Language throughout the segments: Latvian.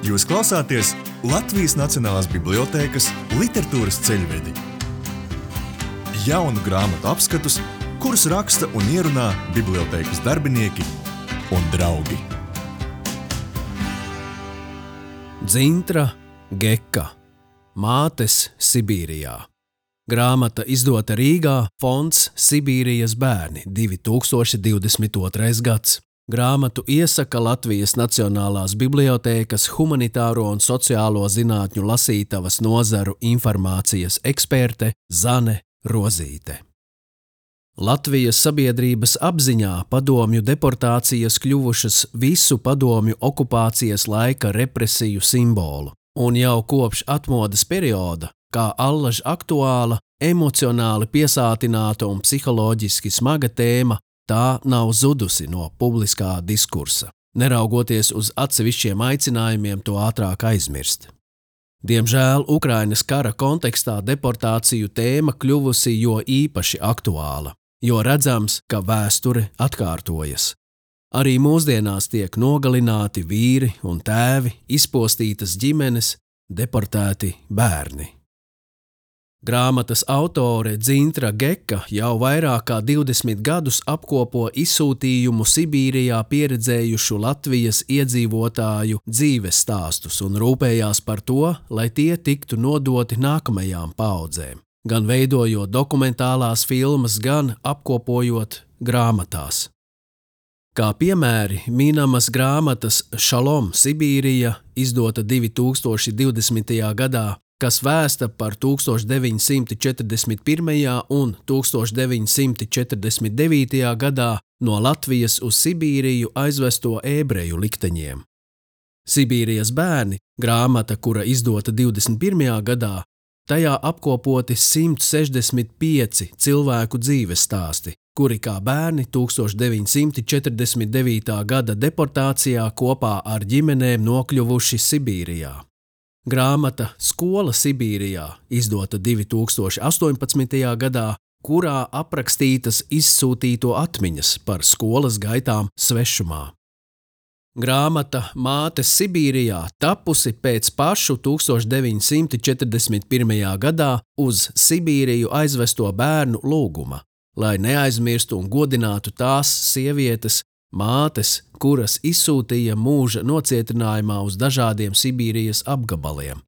Jūs klausāties Latvijas Nacionālās bibliotēkas literatūras ceļvedi. Jaunu grāmatu apskatus, kurus raksta un ierunā bibliotēkas darbinieki un draugi. Dzintra Geka. Mātes Sibīrijā. Grāmata izdota Rīgā, fonds Sibīrijas bērni, 2022. gads. Grāmatu iesaka Latvijas Nacionālās bibliotēkas humanitāro un sociālo zinātņu lasītavas nozaru informācijas eksperte Zane Rozīte. Latvijas sabiedrības apziņā padomju deportācijas kļuvušas visu padomju okupācijas laika represiju simbolu, un jau kopš atmodas perioda, kā allaž aktuāla, emocionāli piesātināta un psiholoģiski smaga tēma, tā nav zudusi no publiskā diskursa, neraugoties uz atsevišķiem aicinājumiem to ātrāk aizmirst. Diemžēl Ukrainas kara kontekstā deportāciju tēma kļuvusi jo īpaši aktuāla, jo redzams, ka vēsture atkārtojas. Arī mūsdienās tiek nogalināti vīri un tēvi, izpostītas ģimenes, deportēti bērni. Grāmatas autore Dzintra Geka jau vairāk kā 20 gadus apkopo izsūtījumu Sibīrijā pieredzējušu Latvijas iedzīvotāju dzīves stāstus un rūpējās par to, lai tie tiktu nodoti nākamajām paaudzēm, gan veidojot dokumentālās filmas, gan apkopojot grāmatās. Kā piemēri minamas grāmatas Šalom Sibīrija, izdota 2020. gadā, kas vēsta par 1941. un 1949. gadā no Latvijas uz Sibīriju aizvesto ebreju likteņiem. Sibīrijas bērni, grāmata, kura izdota 21. gadā, tajā apkopoti 165 cilvēku dzīves stāsti, kuri kā bērni 1949. gada deportācijā kopā ar ģimenēm nokļuvuši Sibīrijā. Grāmata Skola Sibīrijā, izdota 2018. gadā, kurā aprakstītas izsūtīto atmiņas par skolas gaitām svešumā. Grāmata Mātes Sibīrijā tapusi pēc pašu 1941. gadā uz Sibīriju aizvesto bērnu lūguma, lai neaizmirstu un godinātu tās sievietes, mātes, kuras izsūtīja mūža nocietinājumā uz dažādiem Sibīrijas apgabaliem,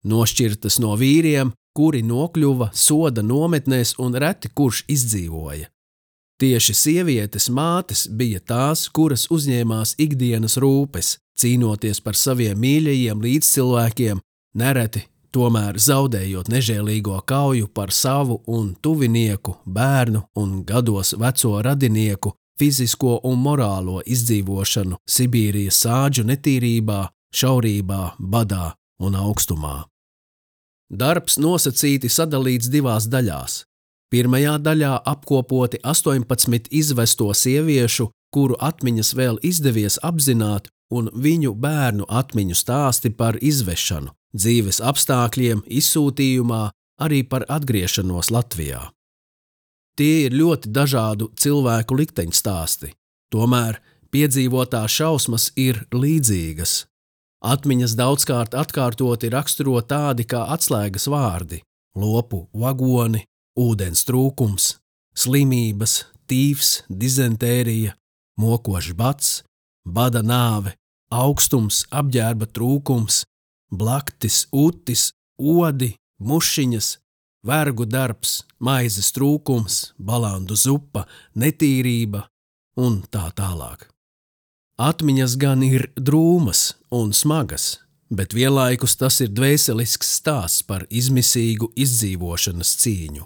nošķirtas no vīriem, kuri nokļuva soda nometnēs un reti kurš izdzīvoja. Tieši sievietes mātes bija tās, kuras uzņēmās ikdienas rūpes, cīnoties par saviem mīļajiem līdzcilvēkiem, nereti tomēr zaudējot nežēlīgo kauju par savu un tuvinieku, bērnu un gados veco radinieku, fizisko un morālo izdzīvošanu Sibīrijas sāģu netīrībā, šaurībā, badā un augstumā. Darbs nosacīti sadalīts divās daļās. Pirmajā daļā apkopoti 18 izvesto sieviešu, kuru atmiņas vēl izdevies apzināt, un viņu bērnu atmiņu stāsti par izvešanu, dzīves apstākļiem, izsūtījumā, arī par atgriešanos Latvijā. Tie ir ļoti dažādu cilvēku likteņstāsti, tomēr piedzīvotās šausmas ir līdzīgas. Atmiņas daudzkārt atkārtoti raksturo tādi kā atslēgas vārdi – lopu vagoni, ūdens trūkums, slimības, tīfs, dizentērija, mokošs bats, bada nāve, augstums, apģērba trūkums, blaktis, utis, odi, mušiņas, vergu darbs, maizes trūkums, balandu zupa, netīrība un tā tālāk. Atmiņas gan ir drūmas un smagas, bet vienlaikus tas ir dvēselisks stāsts par izmisīgu izdzīvošanas cīņu.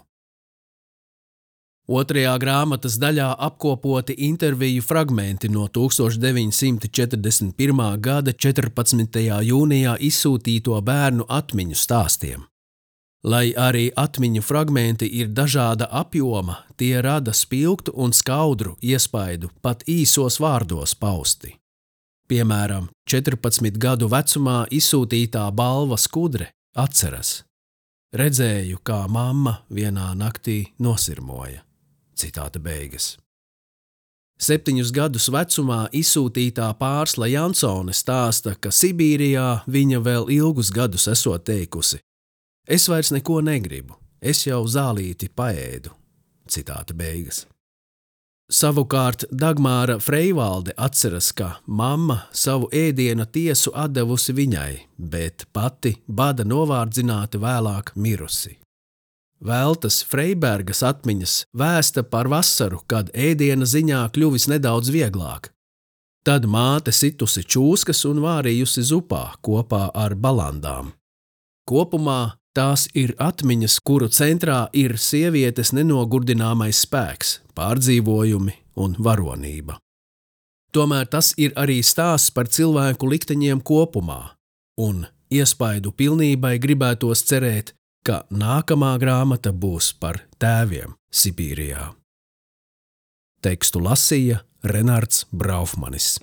Otrajā grāmatas daļā apkopoti interviju fragmenti no 1941. gada 14. jūnijā izsūtīto bērnu atmiņu stāstiem. Lai arī atmiņu fragmenti ir dažāda apjoma, tie rada spilgtu un skaudru iespaidu pat īsos vārdos pausti. Piemēram, 14 gadu vecumā izsūtītā balva skudre atceras: redzēju, kā mamma vienā naktī nosirmoja. Citāta beigas. 7 gadus vecumā izsūtītā Pārsla Jansone stāsta, ka Sibīrijā viņa vēl ilgus gadus esot teikusi: "Es vairs neko negribu, es jau zālīti paēdu." Citāta beigas. Savukārt Dagmāra Freivalde atceras, ka mamma savu ēdiena tiesu atdevusi viņai, bet pati bada novārdzināti vēlāk mirusi. Veltas Freibergas atmiņas vēsta par vasaru, kad ēdiena ziņā kļuvis nedaudz vieglāk. Tad māte situsi čūskas un vārījusi zupā kopā ar balandām. Kopumā tās ir atmiņas, kuru centrā ir sievietes nenogurdināmais spēks, pārdzīvojumi un varonība. Tomēr tas ir arī stāsts par cilvēku likteņiem kopumā, un iespaidu pilnībai gribētos cerēt, ka nākamā grāmata būs par tēviem Sibīrijā. Tekstu lasīja Renards Braufmanis.